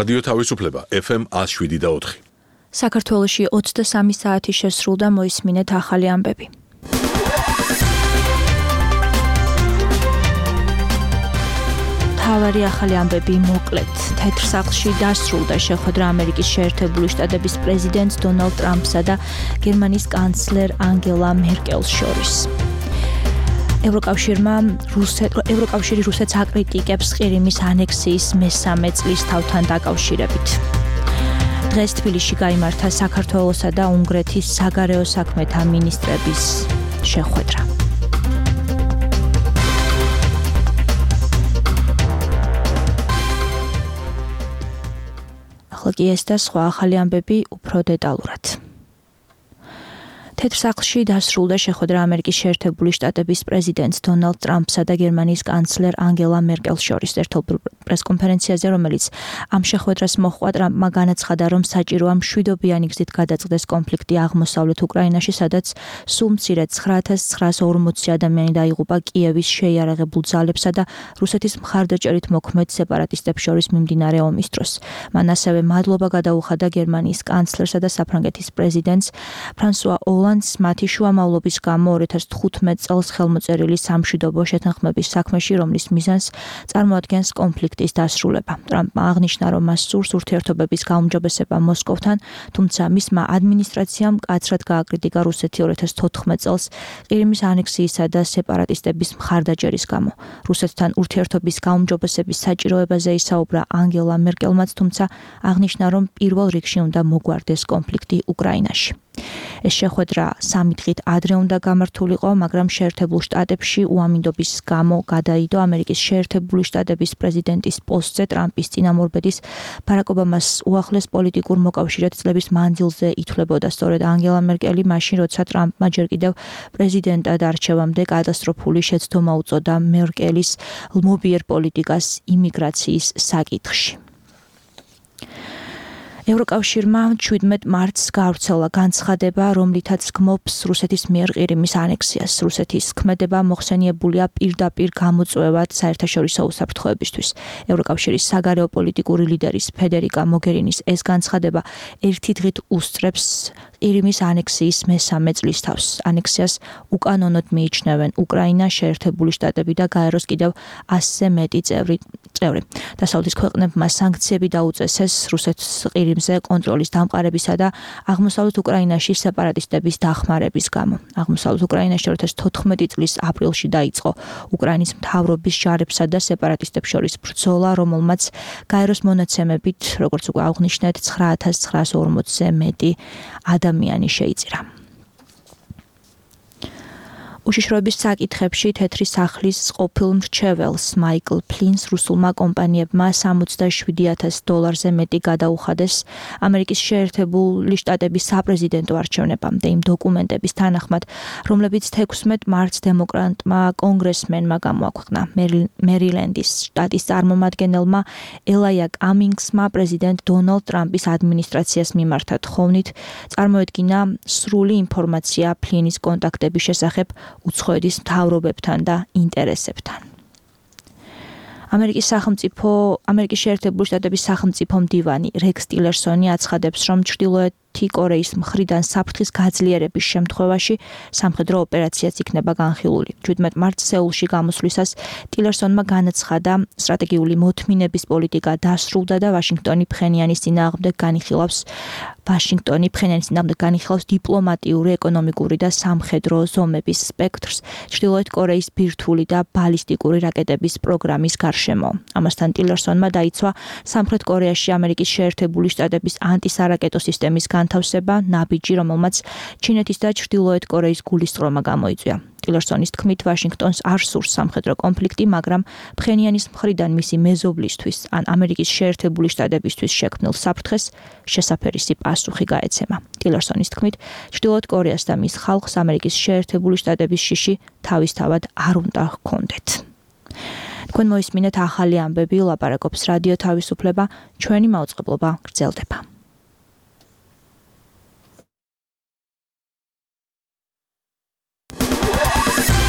რადიო თავისუფლება FM 107.4. საქართველოში 23 საათი შესრულდა, მოისმინეთ ახალი ამბები. თავარი ახალი ამბები მოკლედ. თეთრ სახლში დასრულდა შეხვედრა ამერიკის შეერთებული შტატების პრეზიდენტ დონალდ ტრამპსა და გერმანიის კანცლერ ანგელა მერკელს შორის. ევროკავშირი რუსეთს აკრიტიკებს ყირიმის ანექსიის მესამე წლისთავთან დაკავშირებით. დღეს თბილისში გაიმართა საქართველოსა და უნგრეთის საგარეო საქმეთა მინისტრების შეხვედრა. ახლა კი ეს და სხვა ახალი ამბები უფრო დეტალურად. თეთრ სახლში დასრულდა შეხვედრა ამერიკის შეერთებული შტატების პრეზიდენტ დონალდ ტრამპსა და გერმანიის კანცლერ ანგელა მერკელს შორის ერთობ პრესკონფერენციაზე, რომელიც ამ შეხვედრას მოჰყვა, ტრამპმა განაცხადა, რომ საჭიროა მშვიდობიანი გზით გადაწყდეს კონფლიქტი აღმოსავლეთ უკრაინაში, სადაც სულ მცირედ 9940 ადამიანი დაიღუპა კიევის შეიარაღებულ ძალებსა და რუსეთის მხარდაჭერით მოქმედ სეპარატისტებს შორის მიმდინარე ომის დროს. მან ასევე მადლობა გადაუხადა გერმანიის კანცლერსა და საფრანგეთის პრეზიდენტს ფრანსუა მათი შუამავლობის გამო 2015 წელს ხელმოწერილი სამშვიდობო შეთანხმების საქმეში, რომლის მიზანს წარმოადგენს კონფლიქტის დასრულება. ტრამპმა აღნიშნა, რომ მას სურს ურთიერთობების გაუმჯობესება მოსკოვთან, თუმცა მისმა ადმინისტრაციამ მკაცრად გააკრიტიკა რუსეთი 2014 წელს ყირიმის ანექსიისა და სეპარატისტების მხარდაჭერის გამო. რუსეთთან ურთიერთობის გაუმჯობესების საჭიროებაზე ისაუბრა ანგელა მერკელმაც, თუმცა აღნიშნა, რომ პირველ რიგში უნდა მოგვარდეს კონფლიქტი უკრაინაში. ეს შეხვედრა 3 დღით ადრე უნდა გამართულიყო, მაგრამ შეერთებულ შტატებში უამინდობის გამო გადაიდო ამერიკის შეერთებული შტატების პრეზიდენტის პოსტზე ტრამპის წინამორბედის ბარაკ ობამას უახლეს პოლიტიკურ მოკავშირედ წლების მანძილზე ითვლებოდა. სწორედ ანგელა მერკელი მაშინ, როცა ტრამპმა ჯერ კიდევ პრეზიდენტად არჩევამდე კატასტროფული შეცდომა უწოდა მერკელის ლმობიერ პოლიტიკას იმიგრაციის საკითხში. ევროკავშირმა 17 მარტს გავრცელა განცხადება, რომლითაც გმობს რუსეთის მიერ ყირიმის ანექსიას. რუსეთის ქმედება მოხსენიებულია პირდაპირ გამოწვევად საერთაშორისო უსაფრთხოებისთვის. ევროკავშირის საგარეო პოლიტიკური ლიდერის ფედერიკა მოგერინის ეს განცხადება ერთი დღით უსწრებს ყირიმის ანექსიის მესამე წლისთავს. ანექსიას უკანონოდ მიიჩნევენ უკრაინა, შეერთებული შტატები და გაეროს კიდევ 100-ზე მეტი წევრი. დასავლეთის ქვეყნებმა სანქციები დაუწესეს რუსეთის ყირიმზე კონტროლის დამყარებისა და აღმოსავლეთ უკრაინაში სეპარატისტების დახმარების გამო. აღმოსავლეთ უკრაინაში 2014 წლის აპრილში დაიწყო უკრაინის მთავრობის ჯარებსა და სეპარატისტებს შორის ბრძოლა, რომელმაც გაეროს მონაცემებით, როგორც უკვე აღნიშნეთ, 9940-ზე მეტი ადამიანი შეიწირა. უშიშროების საკითხებში თეთრი სახლის ყოფილ მრჩეველს მაიკლ ფლინს რუსულმა კომპანიებმა $77,000 მეტი გადაუხადეს ამერიკის შეერთებული შტატების საპრეზიდენტო არჩევნებამდე იმ დოკუმენტების თანახმად, რომლებიც 16 მარტს დემოკრატმა კონგრესმენმა გამოაქვეყნა. მერილენდის შტატის წარმომადგენელმა ელაია კამინგსმა პრეზიდენტ დონალდ ტრამპის ადმინისტრაციას მიმართა თხოვნით წარმოედგინა სრული ინფორმაცია ფლინის კონტაქტების შესახებ უცხოეთის მთავრობებთან და ინტერესებთან. ამერიკის შეერთებული შტატების სახელმწიფო მდივანი რექს ტილერსონი აცხადებს, რომ ჩრდილოეთი კორეის მხრიდან საფრთხის გაძლიერების შემთხვევაში სამხედრო ოპერაციაც იქნება განხილული. 17 მარტს სეულში გამოსვლისას ტილერსონმა განაცხადა, სტრატეგიული მოთმინების პოლიტიკა დასრულდა და ვაშინგტონი ფხენიანის წინააღმდეგ განიხილავს დიპლომატიური, ეკონომიკური და სამხედრო ზომების სპექტრს ჩრდილოეთ კორეის ბირთვული და ბალისტიკური რაკეტების პროგრამის გარშემო. ამასთან ტილერსონმა დაიცვა სამხრეთ კორეაში ამერიკის შეერთებული შტატების ანტისარაკეტო სისტემის განთავსება, ნაბიჯი, რომელმაც ჩინეთის და ჩრდილოეთ კორეის გულისწყრომა გამოიწვია. ტილერსონის თქმით, ვაშინგტონს არ სურს სამხედრო კონფლიქტი, მაგრამ ფხენიანის მხრიდან მისი მეზობლისთვის ან ამერიკის შეერთებული შტატებისთვის შექმნილ საფრთხეს შესაფერისი პასუხი გაეცემა. ტილერსონის თქმით, ჩრდილოეთ კორეას და მის ხალხს ამერიკის შეერთებული შტატების შიში თავისთავად არ უნდა ჰქონდეთ. თქვენ მოისმინეთ ახალი ამბები, ლაპარაკობს რადიო თავისუფლება, ჩვენი მაუწყებლობა გრძელდება.